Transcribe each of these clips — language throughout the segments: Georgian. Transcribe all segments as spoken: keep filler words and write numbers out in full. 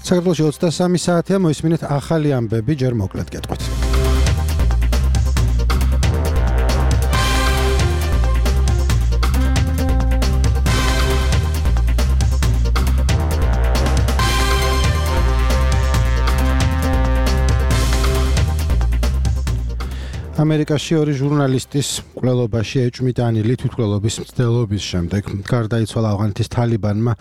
საქართველოში ოცდასამი საათია, მოისმინეთ ახალი ამბები, ჯერ მოკლედ გეტყვით. ამერიკაში ორი ჟურნალისტის კვლელობაში ეჭვმიტანილი თვითმკვლელობის მცდელობის შემდეგ გარდაიცვალა ავღანეთის თალიბანმა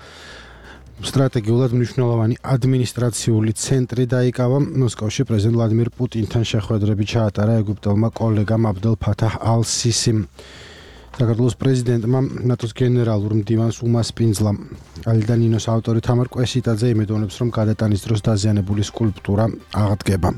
სტრატეგიულად მნიშვნელოვანი ადმინისტრაციული ცენტრი დაიკავა. მოსკოვში პრეზიდენტ ვლადიმირ პუტინთან შეხვედრები ჩაატარა ეგვიპტელმა კოლეგამ აბდელ ფათაჰ ალ-სისიმ. საქართველოს პრეზიდენტმა ნატოს გენერალურ მდივანს უმასპინძლა. ალიდა ნინოს ავტორი თამარ კვესიტაძე იმედოვნებს, რომ გადატანის დროს დაზიანებული სკულპტურა აღდგება.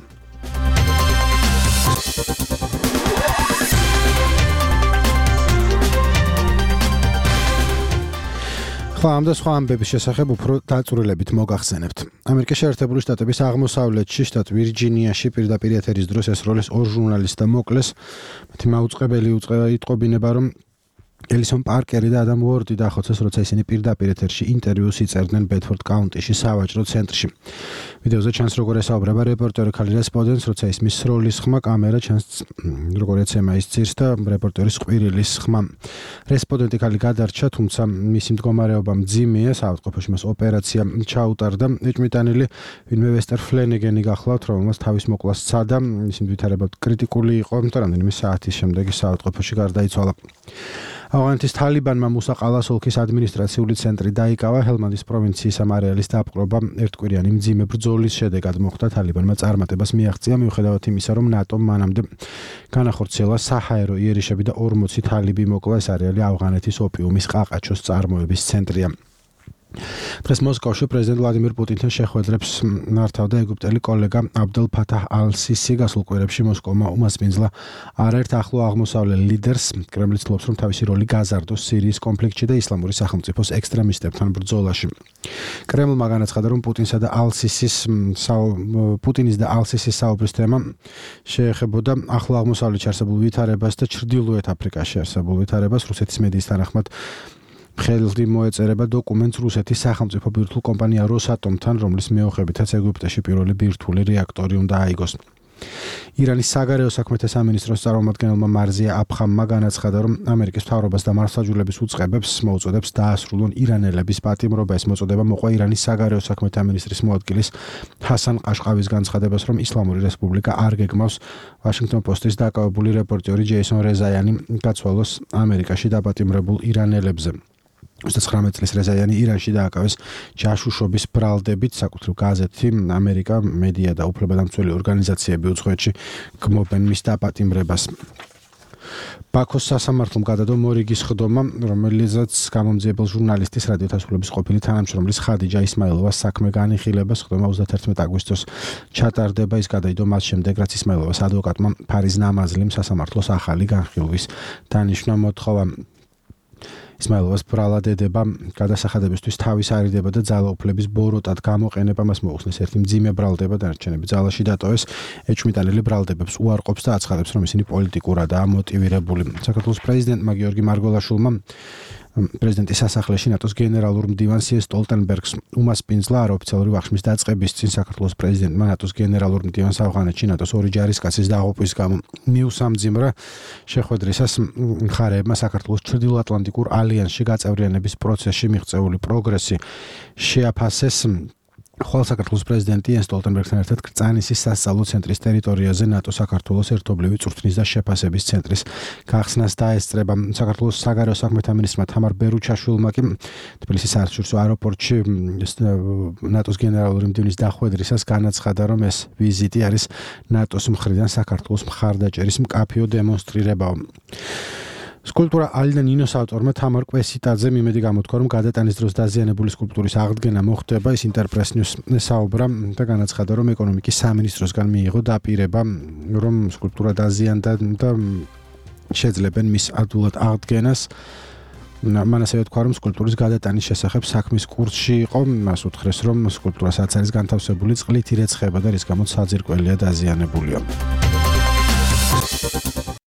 ამ და სხვა ამბების შესახებ უფრო დაწვრილებით მოგახსენებთ. ამერიკის შეერთებული შტატების აღმოსავლეთში, შტატ ვირჯინიაში პირდაპირ ეთერის დროს ესროლეს ორ ჟურნალისტს და მოკლეს. მათი მაუწყებელი იტყობინება, რომ ელისონ პარკერი და ადამ უორდი დახოცეს, როცა ისინი პირდაპირ ეთერში ინტერვიუს იწერდნენ ბედფორდ კაუნტიში სავაჭრო ცენტრში. ვიდეოზე ჩანს, როგორ ესაუბრება რეპორტერი ქალი რესპონდენტს, როცა ისმის სროლის ხმა, კამერა ჩანს, როგორ ეცემა ის ძირს და რეპორტერის ყვირილის ხმა. რესპონდენტი ქალი გადარჩა, თუმცა მისი მდგომარეობა მძიმეა, საავადმყოფოში მას ოპერაცია ჩაუტარდა. ეჭვმიტანილი ვინმე ვესტერ ფლენეგენი გახლავთ, რომელმაც თავის მოკვლას სცადა, მისი მდვითარება კრიტიკული იყო, და რამდენიმე საათის შემდეგ საავადმყოფოში გარდაიცვალა. ავღანეთის თალიბანმა მუსაყალას ოლქის ადმინისტრაციული ცენტრი დაიკავა. ჰელმანდის პროვინციის ამ არეალის დაპყრობა ერთკვირიანი მძიმე ბრძოლის შედეგად მოხდა. თალიბანმა წარმატებას მიაღწია, მიუხედავად იმისა, რომ ნატომ მანამდე განახორციელა საჰაერო იერიშები და ორმოცი თალიბი მოკლა. ეს არეალი ავღანეთის ოპიუმის ყაყაჩოს წარმოების ცენტრია. დღეს მოსკოვში პრეზიდენტ ვლადიმირ პუტინთან შეხვედრებს მართავდა ეგვიპტელი კოლეგა აბდელ ფათაჰ ალ-სისი. გასულ კვირებში მოსკოვმა უმასპინძლა არაერთ ახლო აღმოსავლელ ლიდერს. კრემლი ცდილობს, რომ თავისი როლი გაზარდოს სირიის კონფლიქტში და ისლამური სახელმწიფოს ექსტრემისტებთან ბრძოლაში. კრემლმა განაცხადა, რომ პუტინსა და ალ-სისის პუტინის და ალ-სისის საუბრის თემა შეეხებოდა ახლო აღმოსავლეთში არსებულ ვითარებას და ჩრდილოეთ აფრიკაში არსებულ ვითარებას. რუსეთის მედიის თანახმად ხელდი მოეწერება დოკუმენტს რუსეთის სახელმწიფო ბირთვულ კომპანია როსატომთან, რომლის მეოხებითაც ეგვიპტეში პირველი ბირთვული რეაქტორი უნდა აიგოს. ირანის საგარეო საქმეთა სამინისტროს წარმომადგენელმა მარზია აფხამმა განაცხადა, რომ ამერიკის მთავრობას და მართლმსაჯულების უწყებებს მოუწოდებს დაასრულონ ირანელების პატიმრობა. ეს მოწოდება მოყვა ირანის საგარეო საქმეთა მინისტრის მოადგილის ჰასან ყაშყავის განცხადებას, რომ ისლამური რესპუბლიკა არ გეგმავს ვაშინგტონ პოსტის დაკავებული რეპორტერი ჯეისონ რეზაიანი გაცვალოს ამერიკაში დაპატიმრებულ ირანელებზე. ოცდათვრამეტ წლის რეზაიანი ირანში დააკავეს ჯაშუშობის ბრალდებით. საკუთრივ გაზეთი ამერიკა მედია და უფლებადამცველი ორგანიზაციები უცხოეთში გმობენ მის დაპატიმრებას. ბაქოს სასამართლომ გადადო მორიგის ხდომა, რომელიცაც გამომძიებელ ჟურნალისტის რადიო თასვლების ყოფილი თანამშრომლის ხადიჯა ისმაილოვას საქმე განიხილებას. ხდომა ოცდათერთმეტ აგვისტოს ჩატარდება. ის გადაიდო მას შემდეგ, რაც ისმაილოვას ადვოკატმა ფარიზ ნამაზლიმ სასამართლოს ახალი განხილვის დანიშვნა მოთხოვა. ისმაილოვას ბრალადედება გადასახადებისთვის თავის არიდება და ძალაუფლების ბოროტად გამოყენება. მას მოუხსნეს ერთი მძიმე ბრალდება, დანარჩენები ძალაში დატოვეს. ეჭვმიტანილი ბრალდებებს უარყოფს და აცხადებს, რომ ისინი პოლიტიკურადაა მოტივირებული. საქართველოს პრეზიდენტმა გიორგი მარგველაშვილმა პრეზიდენტის სასახლეში ნატოს გენერალურ მდივანს იენს სტოლტენბერგს უმასპინძლა. არაოფიციალური ვახშმის დაწყების წინ საქართველოს პრეზიდენტმა ნატოს გენერალურ მდივანს ავღანეთში ნატოს ორი ჯარისკაცის დაღუპვის გამო მიუსამძიმრა. შეხვედრისას მხარეებმა საქართველოს ჩრდილოატლანტიკურ ალიანსში გაწევრიანების პროცესში მიღწეული პროგრესი შეაფასეს. ხოლო საქართველოს პრეზიდენტი იენს სტოლტენბერგთან ერთად კრწანისის სასწავლო ცენტრის ტერიტორიაზე ნატო-საქართველოს ერთობლივი წვრთნის და შეფასების ცენტრის გახსნას დაესწრება. საქართველოს საგარეო საქმეთა მინისტრმა თამარ ბერუჩაშვილმა კი თბილისის საერთაშორისო აეროპორტში ნატოს გენერალური მდივნის დახვედრისას განაცხადა, რომ ეს ვიზიტი არის ნატოს მხრიდან საქართველოს მხარდაჭერის მკაფიო დემონსტრირებაა. სკულპტურა ალიდა ნინოს ავტორმა თამარ კვესიტაძემ იმედი გამოთქვა, რომ გადატანის დროს დაზიანებული სკულპტურის აღდგენა მოხდება. ის ინტერპრეს ნიუს საუბრა და განაცხადა, რომ ეკონომიკის სამინისტროსგან მიიღო დაპირება, რომ სკულპტურა დაზიანდა და შეძლებენ მის ადვილად აღდგენას. მან ასევე თქვა, რომ სკულპტურის გადატანის შესახებ საქმის კურსში იყო. მას უთხრეს, რომ სკულპტურასაც არის განთავსებული წყლითი რეცხება და რის გამოც საძირკველია დაზიანებულია.